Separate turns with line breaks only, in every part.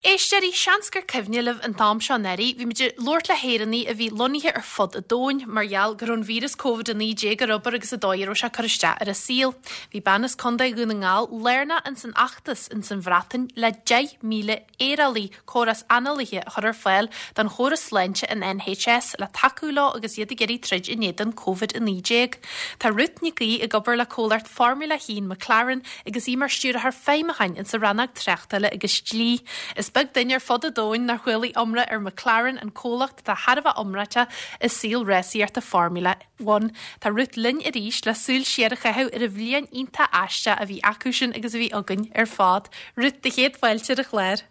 Éisteoirí, seans gur cuimhne libh an t-am seo anuraidh, bhí muid ag labhairt le hÉireannaigh a bhí lonnaithe ar fud an domhain mar gheall go raibh an víreas Covid-19 ar obair agus an dóigh a raibh sé ag cur isteach ar a saol. Bhí bean as Contae Dhún na nGall lárnach ins an fheachtas ins an Bhreatain le 10,000 aerálaí, córas análaithe, a chur ar fáil don chóras sláinte an NHS le tacú leo agus iad ag iarraidh troid in éadan Covid-19. Tá Ruth Nic Aoidh ag obair le comhlacht Formula 1 McLaren agus í mar Stiúrthóir Feidhmiúcháin insa rannóg Tráchtála agus Dlí. Is beag duine ar fud an domhain nár chualaigh iomrá ar McLaren, an comhlacht atá thar a bheith iomráiteach i saol rásaíochta Formula One. Tá Ruth linn arís le súil siar a chaitheamh ar an bhliain iontach aisteach a bhí acusan agus a bhí againn ar fad. Ruth, do chéad fáilte ar an chlár.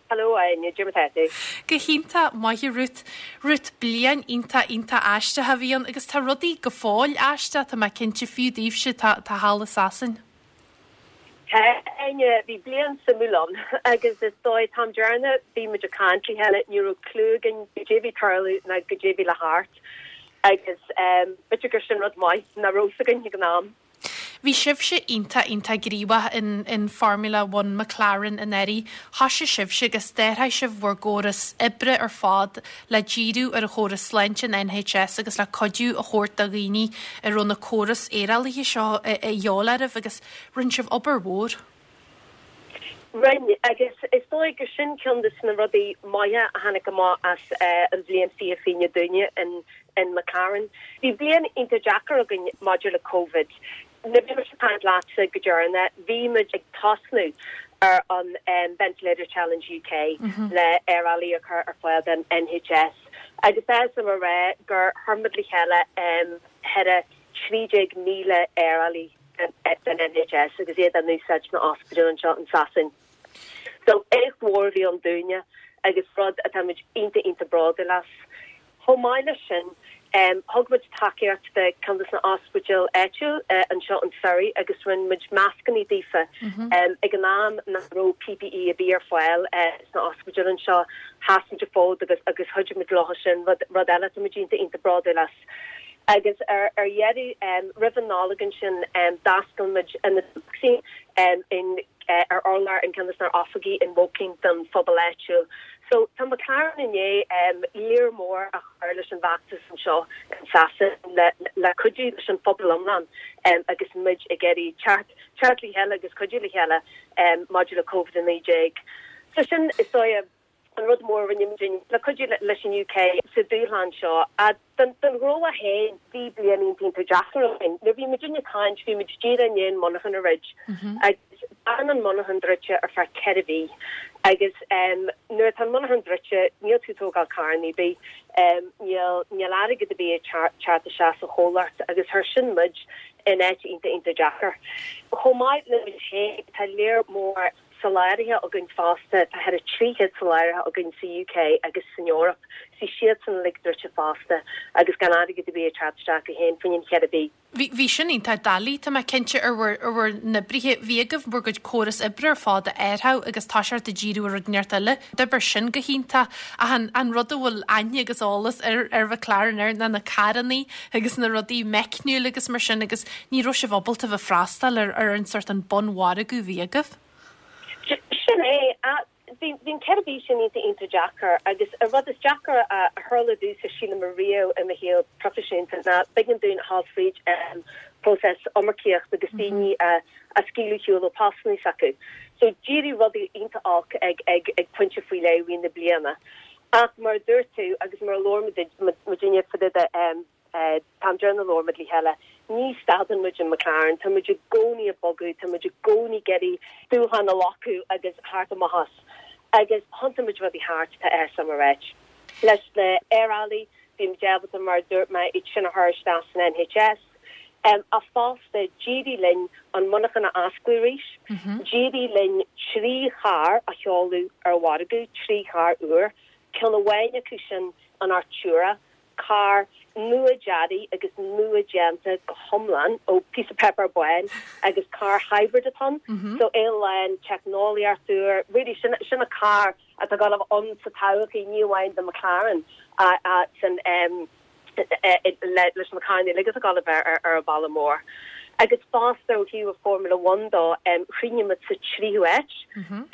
Hello, Áine, cad é mar atá tú?
Go hiontach maith a Ruth. Ruth, bliain iontach iontach aisteach a bhí ann agus tá rudaí go fóill aisteach, tá mé cinnte, fiú daoibhse atá atá thall i Sasain.
Tá, Áine, bhí bliain suimiúil ann agus is dóigh, an t-am deireanach bhí muid ag caint le chéile, ní raibh clue againn goidé bhí ag tarlú ná goidé bhí le theacht agus b'fhéidir gur sin rud maith nach raibh fhios againn ag an am.
Bhí sibhse iontach iontach gníomhach in in Formula One McLaren anuraidh. Thoisigh sibhse agus d'athraigh sibh bhur gcóras oibre ar fad le díriú ar an chóras sláinte an NHS agus le cuidiú a thabhairt do dhaoine a raibh na córais aerálaithe seo a dhíobháil oraibh agus rinne sibh obair mhór.
Rinne, agus is dóigh gur sin ceann de na rudaí maithe a tháinig amach as an bhliain 2020 dúinne in in McLaren. Bhí bliain iontach deacair againn maidir le Covid. Nuair a bhí mise ag caint leatsa go deireanach, bhí muid ag tosnú ar an Ventilator Challenge UK le aerálaí a chur ar fáil don NHS agus tá fhios agam a rá gur chuir muid le chéile thar 13,000 aerálaí don NHS agus iad á n-úsáid sna ospidéil anseo in Sasain. So éacht mhór a bhí ann dúinne agus rud atá muid iontach iontach bródúil as. Chomh maith leis sin, thug muid tacaíocht do ceann de na ospidéil áitiúil anseo in Surrey agus rinne muid mascannaí daofa. Ag an am nach raibh PPE ar bith ar fáil sna ospidéil anseo, sheas muid an fód agus agus chuidigh muid leo sin, rud rud eile atá muid iontach iontach bródúil as. Agus ar dheireadh, roimh an Nollaig ansin, d'oscail muid ionad vacsaín in ar urlár in ceann de ár n-oifigí in Woking don phobal áitiúil. So tá McLaren i ndiaidh lear mór a chur leis an bhfeachtas anseo in Sasain le le cuidiú leis an phobal iomlán agus muid ag iarraidh teacht teacht le chéile agus cuidiú le chéile maidir le Covid-19. So sin is dóigh an rud mór a rinne muid le cuidiú leis an UK sa dúshlán seo. Don ghnó féin, bhí bliain iontach iontach deacair againn. Nuair a bhí muidinne ag caint, bhí muid díreach i ndiaidh an monarchan a dhruid. Agus d'fhan an monarchan druidte ar feadh 4 mhí. Agus nuair atá an monarchan druidte, níl tú ag tógáil carranna ar bith, níl níl airgead ar bith ag teacht isteach sa chomhlacht agus chuir sin muid in áit iontach iontach deacair. Chomh maith le muid féin, tá lear mór soláthraithe againn fosta, tá thar 300 soláthraithe againn sa UK agus san Eoraip, bhí siadsan uilig druidte fosta agus gan airgead ar bith ag teacht isteach acu féin fá choinne an cheithre mhí.
Bhí, bhí sin iontach doiligh, tá mé cinnte, ar bhur, ar bhur n-oibrithe. Bhí agaibh bhur gcuid córas oibre ar fad a athrú agus toiseacht ag díriú ar rud inteacht eile. D'oibir sin go hiontach. Ach an, an rud a bhfuil aithne agus eolas ar, ar McLaren air ná na carrannaí agus na rudaí meicniúil agus mar sin agus ní raibh sibh ábalta bheith freastal ar, ar an sort an bunmhargadh a bhí agaibh.
Sin é. Bhí an 4 mhí sin iontach iontach deacair agus an rud is deacair a tharla domhsa sílim ariamh i mo shaol proifisiúnta ná b'éigean dúinn a ghabháil fríd próiseas iomarcaíocht agus daoine a scaoileadh ar shiúl ó postanna s'acu. So d'éirigh rudaí iontach olc ag ag ag pointe faoi leith i rith na bliana. Ach mar a dúirt tú agus mar a labhair muidinne fá dtaobh de an t-am deireanach a labhair muid le chéile, ní stadann muid in McLaren, tá muid i gcónaí ag bogadh, tá muid i gcónaí ag iarraidh dúshlán a ghlacadh agus theacht amach as. Agus thiontaigh muid rudaí thart, tá áthas orm a ráit. Leis na aerálaí, bhí muid ábalta, mar a dúirt mé, iad sin a chur isteach san NHS. Ach fosta, d'éirigh linn an monarchan a osclú arís, d'éirigh linn 3 charr a sheoladh ar mhargadh, 3 charr úr, ceann amháin acu sin an Artura, carr nua-deartha agus nua-déanta go hiomlán ó píosa páipéar bán agus carr hybrid atá ann, so é lán teicneolaíocht úr, really sin sin an carr atá ag dul a bheith ann sa todhchaí, ní amháin do McLaren ach san leis na carranna uilig atá ag dul a bheith ar an bhealach mór. Agus fosta ó thaobh Formula One dó, chríochnaigh muid sa tríú háit,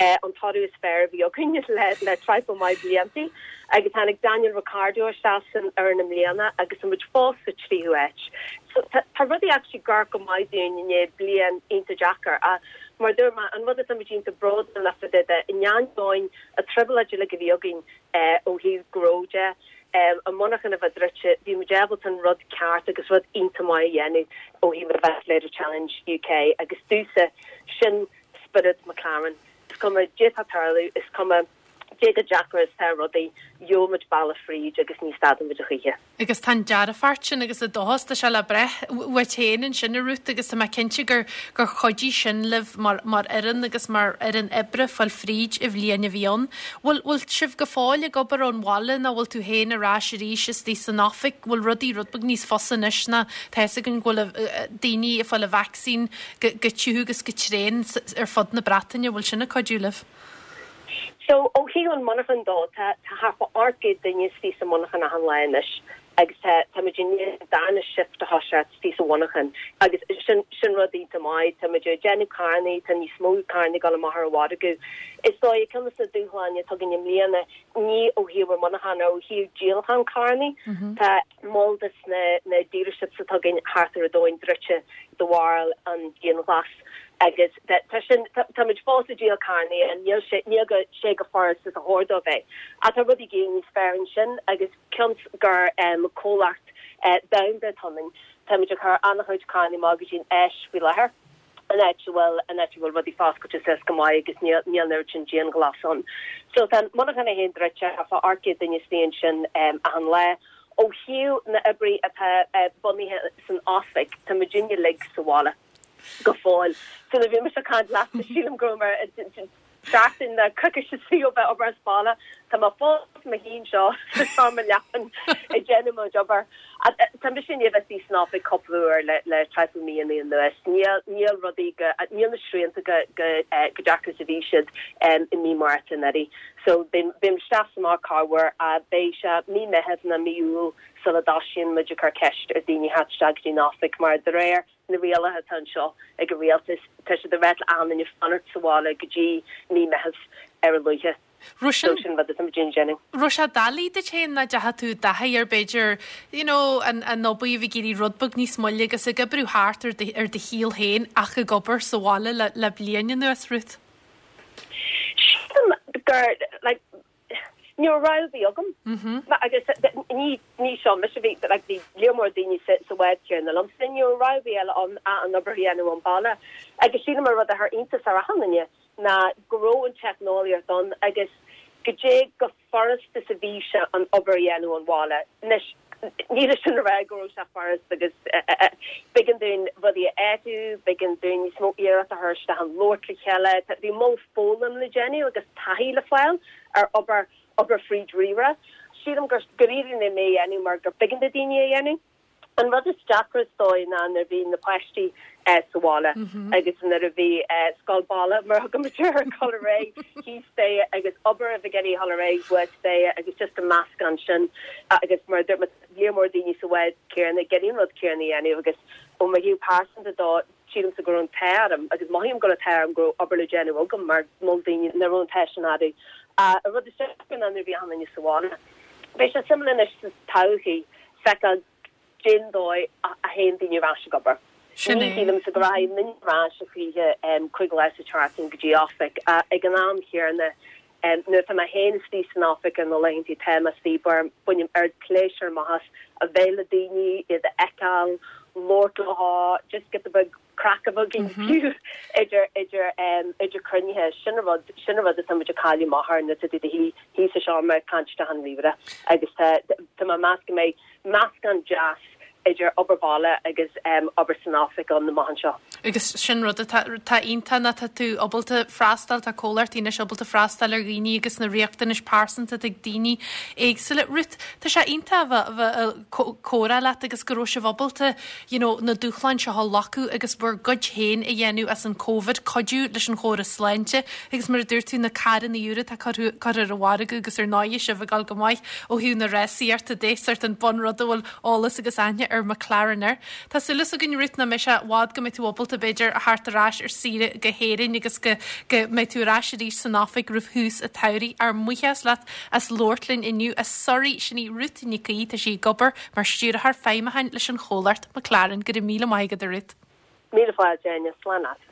an toradh is fearr a bhí againn le le traidhfil maith bliantaí. Agus tháinig Daniel Ricciardo isteach san fhoireann i mbliana agus tá muid fós sa tríú háit. So tá tá rudaí actually ag amharc go maith dúinn i ndiaidh bliain iontach deacair. Ach mar a dúirt mé, an rud atá muid iontach bródúil le fá dtaobh de, in ainneoin an trioblóid uilig a bhí againn ó thaobh gnó de, an monarchan a bheith druidte, bhí muid ábalta an rud ceart agus rud iontach maith a dhéanamh ó thaobh an Ventilator Challenge UK agus domhsa, sin spiorad McLaren. Is cuma caidé atá ag tarlú, is cuma cé chomh deacair is atá rudaí, gheobhaidh muid bealach fríd agus ní stadfaidh muid a choíche.
Agus tá an dearfacht sin agus an dóchas, tá sé le brath uait féin ansin, a Ruth, agus tá mé cinnte gur gur chuidigh sin libh mar mar fhoireann agus mar fhoireann oibre fáil fríd an bhliain a bhí ann. Bhfuil bhfuil sibh go fóill ag obair ón bhaile nó bhfuil tú féin ar ais arís istigh san oifig? Bhfuil rudaí rud beag níos fusa anois ná tá fhios againn go bhfuil daoine ag fáil an vacsaín go go tiubh agus go tréan ar fud na Breataine, bhfuil sin ag cuidiú libh?
So, ó thaobh an monarchan dó, tá tá thart fá 800 duine istigh sa monarchan achan lá anois agus tá tá muid i ndiaidh an darna shift a thoiseacht istigh sa mhonarchan agus sin sin rud iontach maith. Tá muid ag déanamh carrannaí, tá níos mó carrannaí ag dul amach ar an mhargadh. Is dóigh ceann de na dúshláin atá againn i mbliana, ní ó thaobh an monarchan ach ó thaobh díolachán carrannaí, tá moll de na na dealerships atá againn thart ar an domhain druidte de bharr an dianghlas agus tá sin, tá muid fós ag díol carrannaí and níl sé, níl go, sé chomh furast is a chóir dó bheith. Ach tá rudaí ag éirí níos fearr ansin agus cionn is gur comhlacht domhanda atá ionainn, tá muid ag cur an-chuid carrannaí amach go dtí an Áis faoi láthair, an áit a bhfuil, an áit a bhfuil rudaí foscailte suas go maith agus níl, níl an oiread sin dianghlas ann. So tá an monarchan é féin druidte, thart fá 800 duine istigh ansin achan lá. Ó thaobh na oibrithe atá bunaithe san oifig, tá muidinne uilig sa bhaile go fóill. So nuair a bhí mise ag caint leatsa, sílim go raibh mé seachtain nó coicís istigh ó bheith ag obair as baile. Tá mé fós i mo shuí anseo sa seomra leapan ag déanamh mo chuid obair. Tá mise i ndiaidh a bheith istigh san oifig cúpla uair le le traidhfil míonna anuas. Níl níl rudaí go níl na srianta go go chomh deacair is a bhí siad i mí Márta anuraidh. So beidh beidh isteach is amach corruair ach beidh sé mí Meitheamh nó mí Iúil sula dtoisíonn muid ag cur ceist ar daoine theacht isteach go dtí an oifig mar de réir na rialacha atá anseo ag an rialtas tá siad ag ráit le achan duine fanacht sa bhaile go dtí mí Meitheamh ar a luaithe.
Raibh sin So sin rud atá muid ag déanamh. Raibh sé doiligh duit féin nach ndeachaigh tú i dtaithí ar b'fhéidir you know an an obair a bheith ag éirí rud beag níos moille agus ag oibriú thart ar do ar do shaol féin ach ag obair sa bhaile le le bliain anuas, Ruth?
Sílim gur like ní raibh rogha ar bith agam. Agus ní ní seo mise bhí like bhí lear mór daoine sa sa bhád céanna liomsa, ní raibh rogha ar bith eile ann ach an obair a dhéanamh ón baile. Agus sílim an rud a chuir iontas ar achan duine ná go raibh an teicneolaíocht ann agus goidé chomh furast is a bhí sé an obair a dhéanamh ón bhaile. Anois, ní leis sin a rá go raibh sé furast agus b'éigean dúinn rudaí a áitiú, b'éigean dúinn níos mó iarracht a chur isteach in labhairt le chéile. Bhí moll foghlaim le déanamh agus taithí le fáil ar obair, obair fríd ríomhaire. Sílim gur gur éirigh linn é a dhéanamh mar gur b'éigean do daoine é a dhéanamh. An rud is deacra is dóigh ná nuair a bhí na páistí sa bhaile agus nuair a bhí scoil baile, mar a thugaimid air, ag dul ar aghaidh thíos staighre agus obair a bheith ag iarraidh dul ar aghaidh thuas staighre agus just an meascán sin agus mar a dúirt mé lear mór daoine sa bhád céanna ag iarraidh an rud céanna a dhéanamh agus ó mo thaobh pearsanta dó sílimse go raibh an t-ádh orm agus mothaím go raibh an t-ádh orm go raibh obair le déanamh agam mar moll daoine nach raibh an t-ádh sin orthu. An rud is deacra ná nuair a bhí achan duine sa bhaile. Beidh sé suimiúil anois sa todhchaí feiceáil cén dóigh a théann daoine ar ais ag obair.
Sin
Ní
é.
shílimse go rachaidh aon duine ar ais a choíche 5 lá sa tseachtain go dtí oifig. Ag an am chéanna, nuair atá mé féin istigh san oifig ar na laethanta atá mé istigh, bainim oiread pléisiúr amach as a bheith le daoine, iad a fheiceáil, labhairt leo, just giota beag craic a bheith againn fiú idir idir idir cruinnithe. Sin an rud, sin an rud atá muid ag cailleadh amach ar nuair atá tú i do shuí thíos sa seomra ag caint isteach an ríomhaire agus tá tá mé ag meas go mbeidh meascán deas idir obair baile agus obair san oifig ann amach anseo.
Agus sin rud atá atá iontach ná tá tú ábalta freastal, tá comhlachtaí anois ábalta freastal ar dhaoine agus na riachtanais pearsanta atá ag daoine éagsúla. Ruth, tá sé iontach a bheith a bheith ag comhrá leat agus go raibh sibh ábalta you know, na dúshláin seo a ghlacadh agus bhur gcuid féin a dhéanamh as an Covid, cuidiú leis an chóras sláinte agus mar a dúirt tú, na carranna úra atá curtha ar an mhargadh agus ar ndóighe sibh ag dul go maith ó thaobh na rásaíochta de, sórt an bunrud a bhfuil eolas agus aithne. ar McLaren air. Tá súil againn Ruth nach mbeidh sé i bhfad go mbeidh tú ábalta b'fhéidir a theacht ar ais ar saoire go hÉirinn agus go go mbeidh tú ar ais arís san oifig roimh thús an tsamhraidh. Ár mbuíochas leat as labhairt linn inniu as Suirí. Sin í Ruth Nic Aoidh, tá sí ag obair mar Stiúrthóir Feidhmiúcháin leis an chomhlacht McLaren. Go raibh míle maith agat a Ruth.
Míle fáilte, Áine. Slán leat.